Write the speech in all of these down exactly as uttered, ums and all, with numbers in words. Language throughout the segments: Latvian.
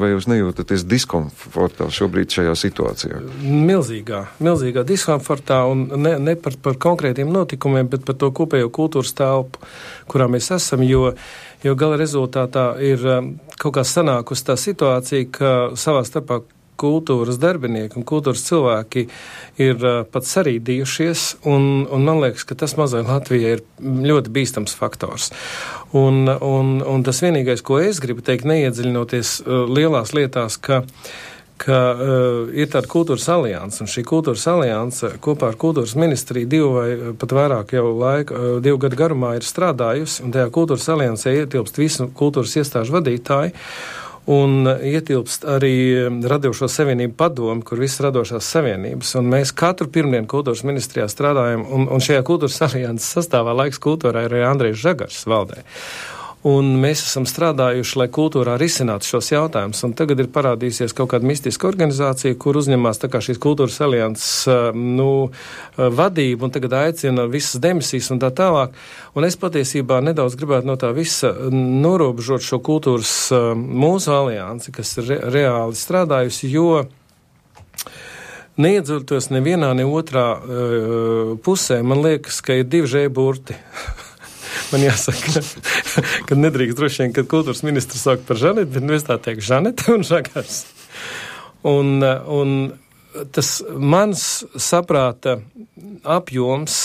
Vai jūs nejūtaties diskomfortā šobrīd šajā situācijā? Milzīgā, milzīgā diskomfortā un ne, ne par, par konkrētiem notikumiem, bet par to kopējo kultūras telpu, kurā mēs esam, jo, jo gala rezultātā ir kaut kā sanākusi tā situācija, ka savā starpā kultūras darbinieki un kultūras cilvēki ir uh, pat sarīdījušies, un, un man liekas, ka tas mazai Latvijai ir ļoti bīstams faktors. Un, un, un tas vienīgais, ko es gribu teikt, neiedziļinoties uh, lielās lietās, ka ka uh, ir tāda kultūras alianse, un šī kultūras alianse kopā ar kultūras ministriju divu vai pat vairāk jau laika, uh, divu gadu garumā ir strādājusi, un tajā kultūras aliansē ietilpst visu kultūras iestāžu vadītāji, un ietilpst arī Radošo savienību padomu, kur visas radošās savienības, un mēs katru pirmdienu kultūras ministrijā strādājam, un, un šajā kultūras alianses sastāvā Laiks kultūrā ir arī Andrejs Žagars valdē. Un mēs esam strādājuši, lai kultūrā risinātu šos jautājumus, un tagad ir parādījusies kaut kāda mistiska organizācija, kur uzņemās tā kā šīs kultūras alianses, nu, vadību, un tagad aicina visas demisijas un tā tālāk. Un es patiesībā nedaudz gribētu no tā visa norobežot šo kultūras mūsu aliansi, kas ir re- reāli strādājusi, jo neiedzurtos nevienā, ne otrā uh, pusē, man liekas, ka ir divi žēburti. Man jāsaka, ka nedrīkst droši vien, kad kultūras ministrs saukt par Žanetu, bet nu es tā teiktu Žanete un Žagars. Un, un tas mans saprāta apjoms,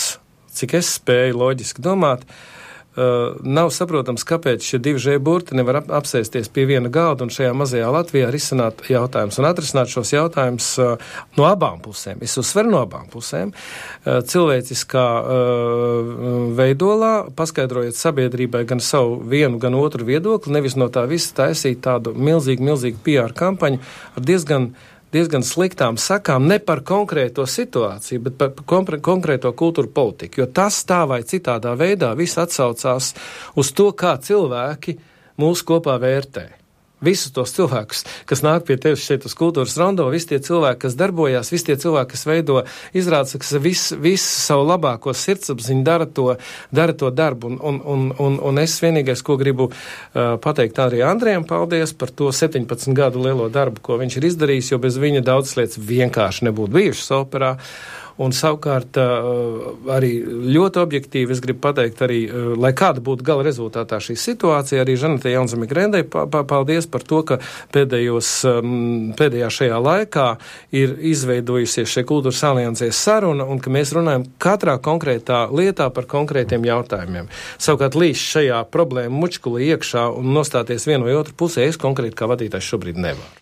cik es spēju loģiski domāt, uh, nav saprotams, kāpēc šie divi žēburti nevar ap- apsēsties pie viena galda un šajā mazajā Latvijā risināt jautājumus un atrisināt šos jautājumus uh, no abām pusēm. Es uzsveru no abām pusēm. Uh, cilvēciskā uh, veidolā, paskaidrojot sabiedrībai gan savu vienu, gan otru viedokli, nevis no tā visa taisīt tādu milzīgu, milzīgu P R kampaņu ar diezgan diezgan sliktām sakām ne par konkrēto situāciju, bet par kompre, konkrēto kultūru politiku, jo tas tā vai citādā veidā viss atsaucās uz to, kā cilvēki mūs kopā vērtē. Visus tos cilvēkus, kas nāk pie tevis šeit uz kultūras rondo, visi tie cilvēki, kas darbojās, visi tie cilvēki, kas veido izrādes, kas visu vis savu labāko sirdsapziņu dara to, dara to darbu. Un, un, un, un, un es vienīgais, ko gribu uh, pateikt arī Andrejam, paldies par to septiņpadsmit gadu lielo darbu, ko viņš ir izdarījis, jo bez viņa daudzas lietas vienkārši nebūtu bijušas operā. Un savukārt arī ļoti objektīvi es gribu pateikt arī, lai kāda būtu gala rezultātā šī situācija, arī Žanetei Jaunzeme-Grendei paldies par to, ka pēdējos, pēdējā šajā laikā ir izveidojusies šie kultūras aliansēs saruna un ka mēs runājam katrā konkrētā lietā par konkrētiem jautājumiem. Savukārt līdz šajā problēma mučkulī iekšā un nostāties vienu vai otru pusē es konkrēti kā vadītājs šobrīd nevaru.